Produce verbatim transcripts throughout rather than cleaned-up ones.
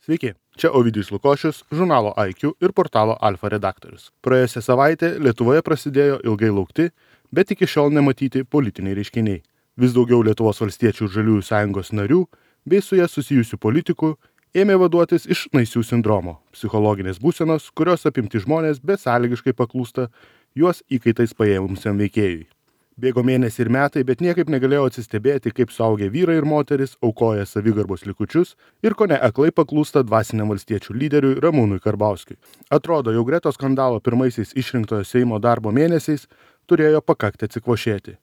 Sveiki, čia Ovidijus Lukošius, žurnalo I Q ir portalo Alfa redaktorius. Praėjusią savaitę Lietuvoje prasidėjo ilgai laukti, bet iki šiol nematyti politiniai reiškiniai. Vis daugiau Lietuvos valstiečių ir žaliųjų sąjungos narių bei su jie susijusių politikų ėmė vaduotis iš naisių sindromo, psichologinės būsenos, kurios apimti žmonės besąlygiškai paklūsta juos įkaitais paėmusiam veikėjui. Bėgo mėnesiai ir metai, bet niekaip negalėjau atsistebėti, kaip suaugę vyrai ir moteris aukoja savigarbos likučius ir kone aklai paklūsta dvasiniam valstiečių lyderiui Ramūnui Karbauskiui. Atrodo, jau gretos skandalo pirmaisiais išrinktojo Seimo darbo mėnesiais turėjo pakakti atsikvošėti.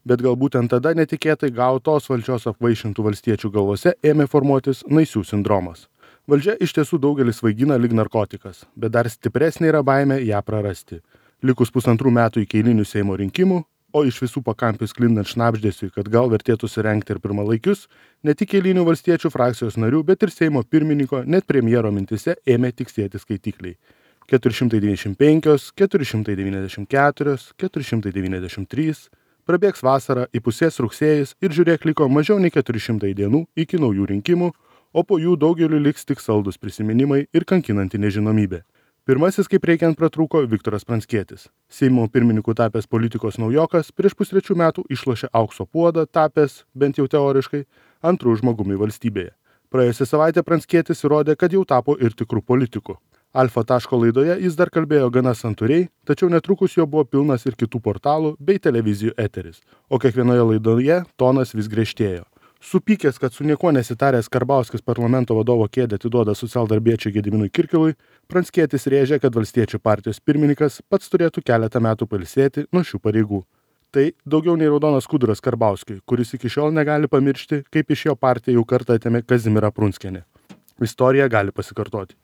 Bet gal būtent tada netikėtai gautos valdžios apvaišintų valstiečių galvose ėmė formuotis naisių sindromas. Valdžia iš tiesų daugelis vaigina lyg narkotikas, bet dar stipresnė yra baimė ją prarasti. Likus pusantrų metų iki eilinių Seimo rinkimų, o iš visų pakampių sklindant šnabždesiui, kad gal vertėtų surengti ir pirmalaikius, ne tik eilinių valstiečių frakcijos narių, bet ir Seimo pirmininko, net premjero mintise ėmė tiksėti skaitikliai. keturi šimtai devyniasdešimt penki, keturi šimtai devyniasdešimt keturi, keturi šimtai devyniasdešimt trys, prabėgs vasara, įpusės rugsėjis ir žiūrėk liko mažiau nei keturi šimtai dienų iki naujų rinkimų, o po jų daugeliu liks tik saldus prisiminimai ir kankinanti nežinomybė. Pirmasis, kaip reikiant, pratrūko Viktoras Pranckietis. Seimo pirmininku tapęs politikos naujokas prieš pustrečių metų išlošė aukso puodą, tapęs, bent jau teoriškai, antrų žmogumi valstybėje. Praėjusią savaitę Pranckietis įrodė, kad jau tapo ir tikrų politikų. Alfa taško laidoje jis dar kalbėjo gana santūriai, tačiau netrukus jo buvo pilnas ir kitų portalų bei televizijų eteris, o kiekvienoje laidoje tonas vis griežtėjo. Supykęs, kad su niekuo nesitaręs Karbauskis parlamento vadovo kėdę atiduoda socialdarbiečiui Gediminui Kirkilui, Pranckietis rėžė, kad valstiečių partijos pirmininkas pats turėtų keletą metų pailsėti nuo šių pareigų. Tai daugiau nei raudonas skuduras Karbauskiui, kuris iki šiol negali pamiršti, kaip iš jo partija jau kartą atėmė Kazimierą Prunskienę. Istorija gali pasikartoti.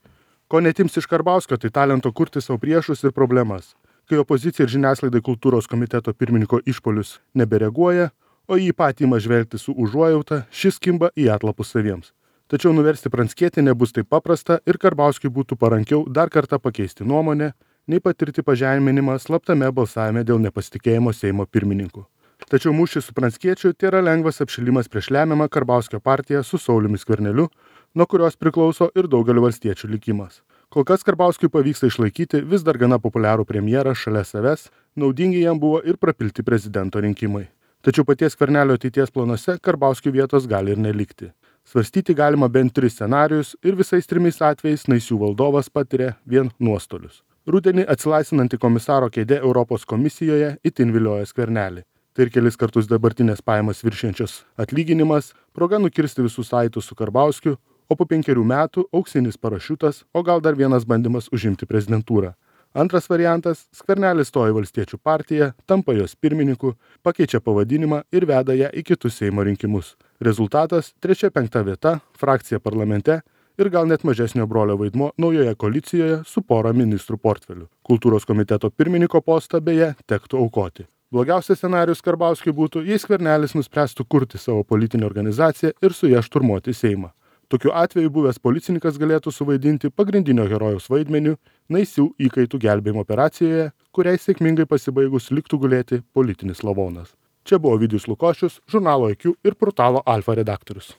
Ko netims iš Karbauskio, tai talento kurti savo priešus ir problemas. Kai opozicija ir žiniasklaidai kultūros komiteto pirmininko išpolius nebereaguoja, o jį patį ima žvelgti su užuojauta, šis kimba į atlapus saviems. Tačiau nuversti Pranckietį nebus taip paprasta ir Karbauskiui būtų parankiau dar kartą pakeisti nuomonę, nei patirti pažeminimą slaptame balsavime dėl nepasitikėjimo Seimo pirmininku. Tačiau mūšis su Pranckiečiu tai yra lengvas apšilimas prieš lemiamą Karbauskio partiją su Sauliumi Skverneliu, nuo kurios priklauso ir daugelio valstiečių likimas. Kol kas Karbauskiui pavyksta išlaikyti vis dar gana populiarų premjerą šalia savęs, naudingi jam buvo ir prapilti prezidento rinkimai. Tačiau paties Skvernelio ateities planuose Karbauskiui vietos gali ir nelikti. Svarstyti galima bent tris scenarijus ir visais trimis atvejais naisių valdovas patiria vien nuostolius. Rudenį atsilaisvinanti komisaro kėdė Europos komisijoje itin vilioja Skvernelį. Tai ir kelis kartus dabartinės pajamas viršiančios atlyginimas, proga nukirsti visus saitus su Karbauskiu, o po penkerių metų auksinis parašiutas, o gal dar vienas bandymas užimti prezidentūrą. Antras variantas – Skvernelis stoja į valstiečių partiją, tampa jos pirmininku, pakeičia pavadinimą ir veda ją į kitus Seimo rinkimus. Rezultatas – trečia penkta vieta, frakcija parlamente ir gal net mažesnio brolio vaidmuo naujoje koalicijoje su pora ministrų portfelių. Kultūros komiteto pirmininko postą beje tektų aukoti. Blogiausias scenarijus Karbauskiui būtų, jei Skvernelis nuspręstų kurti savo politinę organizaciją ir su ją šturmuoti Seimą. Tokiu atveju buvęs policininkas galėtų suvaidinti pagrindinio herojaus vaidmeniu naisių įkaitų gelbėjimo operacijoje, kuriai sėkmingai pasibaigus liktų gulėti politinis lavonas. Čia buvo Ovidijus Lukošius, žurnalo I Q ir portalo Alfa redaktorius.